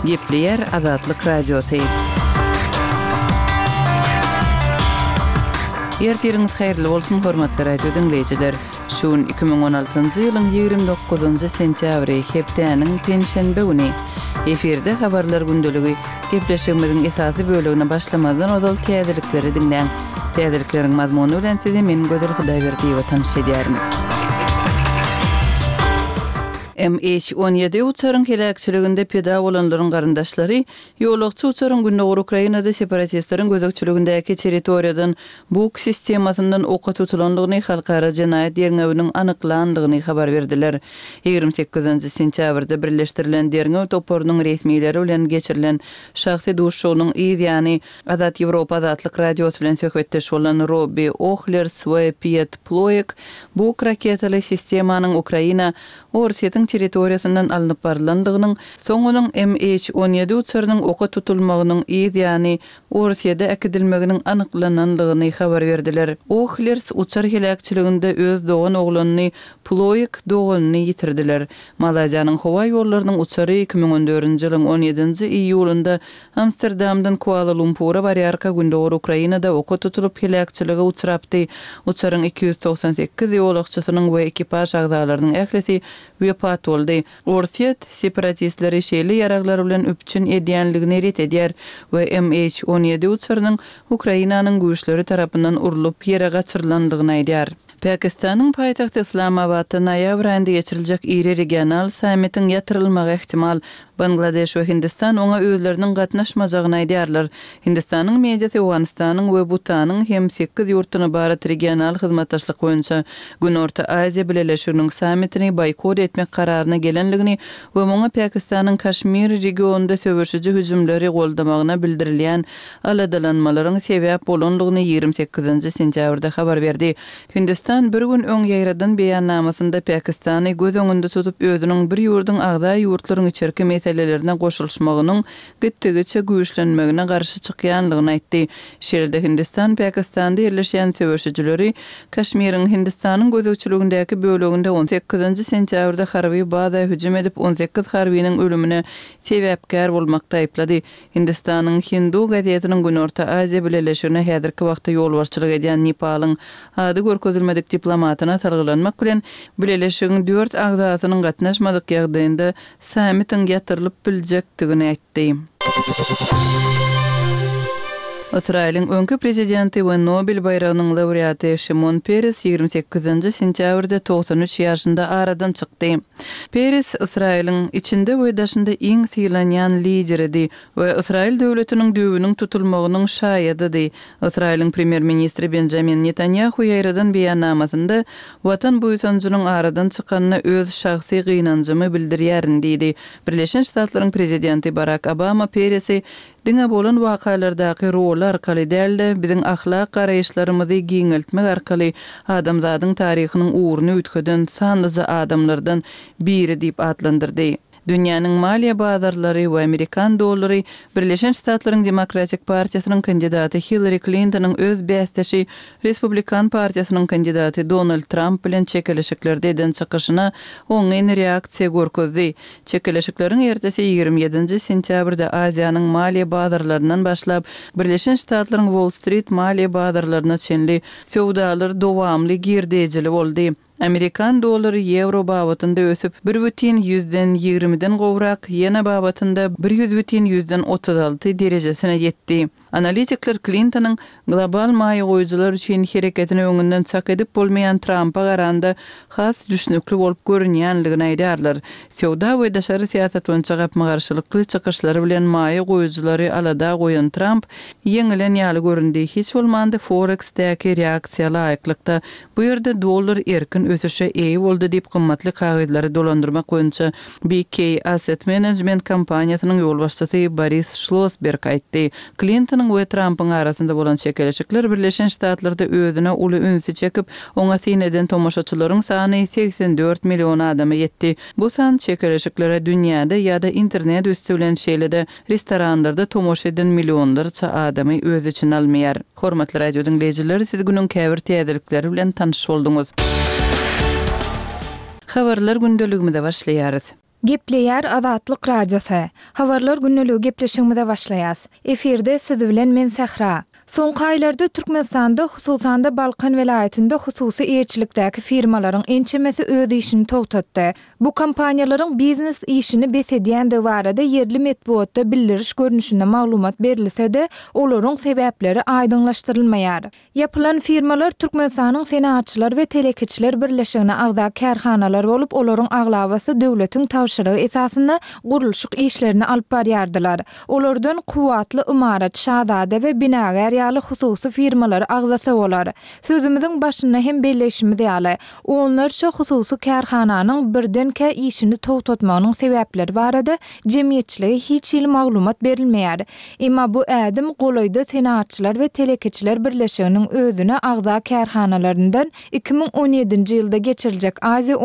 Gepleýär Azatlyk Radiosy. Ertiriňiz haýyrly bolsun, hormatly radio diňleýjiler! Şu gün 2016-njy ýylyň 29-njy sentýabry, hepdäniň penşenbe güni. Efirde Habarlar gündeligi. Gepleşigimiziň esasy bölegine başlamazdan ozal täzelikleri diňläň. Täzelikleriň mazmuny bilen sizi men Gözel Hudaýberdiýewa tanyş edýärin. MH 17 uçaryň heläkçiliginde pida bolanlaryň garyndaşlary ýolagçy uçaryň gündogar Ukrainada separatistleriň gözegçiligindäki territoriýadan Buk sistemasyndan oka tutulandygyny halkara jenaýat derňewiniň anyklandygyny habar berdiler. 28 sentýabrda birleşdirilen derňew toparynyň resmileri bilen geçirilen şahsy duşuşygynyň yz ýany Azat Ýewropa Azatlyk Radiosy bilen söhbetdeş bolan Robbi Ohlers we Piet Ploek Buk raketaly sistemanyň Ukraina Orsýetiň territoriýasyndan alnyp barylandygynyň, soň onuň MH 17 uçarynyň oka tutulmagynyň yz ýany Orsýede äkidilmeginiň anyklanandygyny habar berdiler. Ohlers uçar heläkçiliginde öz dogan oglanyny Ploek doganyny ýitirdiler. Malaýziýanyň howa ýollarynyň uçary 2014-nji ýylyň on ýedinji iýulynda Amsterdamdan Kuala-Lumpura barýarka gündogar Ukrainada oka tutulyp heläkçilige uçrapdy. Uçaryň 298 ýolagçysynyň we ekipaž agzalarynyň ählisi wepat boldy. Orsýet separatistleri şeýle ýaraglar bilen üpjün edýänligini ret edýär we MH 17 uçarynyň Ukrainanyň güýçleri tarapyndan urlup ýere gaçyrylandygyny aýdýar. Pakistanyň paýtagty Yslamabatda noýabr aýynda geçiriljek iri regional sammitiň ýatyrylmagy ähtimal. Bangladeş we Hindistan oňa özleriniň gatnaşmajagyny aýdýarlar. Hindistanyň mediasy Owganystanyň we Butanyň hem sekiz ýurtdan ybarat regional hyzmatdaşlyk boýunça Günorta Aziýa Bileleşiginiň sammitini boýkot etmek kararyna gelendigini we muňa Pakistanyň Kaşmir regionynda söweşiji hüjümleri goldamagyna bildirilýän aladalanmalaryň sebäp bolandygyny 28 sentýabrda habar berdi. Hindistan bir gün öň ýaýradan beýannamasynda Pakistany göz öňünde tutup özüniň bir ýurduň agza ýurtlaryň içerki meselelerine goşulyşmagynyň gitdigiçe güýçlenmegine garşy çykýanlygyny aýtdy. Şeýle-de Hindistan Pakistanda ýerleşýän söweşijileri Kaşmiriň Hindistanyň gözegçiligindäki böleginde on sekizinji sentýabrda harby baza hüjüm edip 18 harbynyň ölümine sebäpkär bolmakda aýyplady. Hindistanyň Hindu gazetiniň Günorta Aziýa Bileleşigine häzirki wagtda ýolbaşçylyk edýän Nepalyň ady görkezilmedik diplomatyna salgylanmak bilen, bileleşigiň dört agzasynyň gatnaşmadyk ýagdaýynda sammitiň ýatyrylyp biljekdigini aýtdy. Ysraýylyň öňki prezidenti we Nobel baýragynyň laureaty Şimon Peres 28 sentýabrda 93 ýaşynda aradan çykdy. Peres Ysraýylyň içinde we daşynda iň sylanýan lideridi we Ysraýyl döwletiniň düýbüniň tutulmagynyň şaýadydy. Ysraýylyň premýer-ministri Benjamin Netanýahu ýaýradan beýannamasynda, Watan buýsanjynyň aradan çykanyna öz şahsy gynanjymy bildirýärin diýdi. Birleşen Ştatlaryň prezidenti Barak Obama Peresi Diňe bolan wakalardaky roly arkaly däl-de, biziň ahlak garaýyşlarymyzy giňeltmek arkaly adamzadyň taryhynyň ugruny üýtgeden sanlyja adamlardan biri diýip atlandyrdy. Dünýäniň maliýe bazarlary we amerikan dollary Birleşen Ştatlaryň Demokratik partiýasynyň kandidaty Hillari Klintonyň öz bäsdeşi Respublikan partiýasynyň kandidaty Donald Tramp bilen çekeleşiklerde eden çykyşyna oňyn reaksiýa görkezdi. Çekeleşikleriň ertesi 27-nji sentýabrda Aziýanyň maliýe bazarlaryndan başlap, Birleşen Ştatlaryň Wall-Strit maliýe bazarlaryna çenli söwdalar dowamly girdejili boldy. Amerikan dollary ýewro babatynda ösüp, bir bütin ýüzden ýigrimiden gowrak, ýena babatynda bir ýüz bütin ýüzden 36 derejesine ýetdi. Analitikler Klintonyň global maýa goýujylar üçin hereketini öňünden çak edip bolmaýan Trampa garanda has düşnükli bolup görünýänligini aýdýarlar. Söwda we daşary syýasat boýunça gapma-garşylykly çykyşlary bilen maýa goýujylary alada goýan Tramp ýeňilen ýaly göründi, hiç bolmanda Forex-däki reaksiýa laýyklykda bu ýerde dollar erkin ösüşe eýe boldy diýip gymmatly kagyzlary dolandyrmak boýunça BK Asset Management kompaniýasynyň ýolbaşçysy Boris Şlosberg aýtdy. Klintonyň we Trampyň arasynda bolan çekeleşikler Birleşen Ştatlarda özüne uly ünsi çekip, oňa syn eden tomaşaçylaryň sany 84 million adama ýetdi. Bu san çekeleşiklere dünýäde ýa-da internet üsti bilen şeýle-de restoranlarda tomaşa eden millionlarça adamy öz içine almaýar. Hormatly radio diňleýjiler, siz günüň käbir täzelikleri bilen tanyş bolduňyz. Habarlar gündeligimize başlaýarys. Gepleýär Azatlyk Radiosy. Habarlar gündeligi gepleşigimize başlaýas. Efirde siz bilen men Sähra. Soňky aýlarda Türkmenistanda, hususan-da Balkan welaýatynda hususy eýeçilikdäki firmalaryň ençemesi öz işini togtatdy. Bu kompaniýalaryň biznes işini bes edýändigi barada ýerli metbugatda bildiriş görnüşinde maglumat berilse-de, olaryň sebäpleri aýdyňlaşdyrylmaýar. Ýapylan firmalar Türkmenistanyň Senagatçylar we telekeçiler birleşigine agza kärhanalar bolup, olaryň aglabasy döwletiň tabşyrygy esasynda gurluşyk işlerini alyp barýardylar. Olardan Kuwwatly ymarat, Şazada we Binagär ýaly hususy firmalary agzasa bolar. Sözümiziň başynda hem belleýşimiz ýaly, onlarça hususy kärhananyň birdenkä işini togtatmagynyň sebäpleri barada jemgyýetçilige hiç hili maglumat berilmeýär. Emma bu ädim golaýda Senagatçylar we telekeçiler birleşiginiň özüne agza kärhanalaryndan 2017-nji ýylda geçiriljek Aziýa.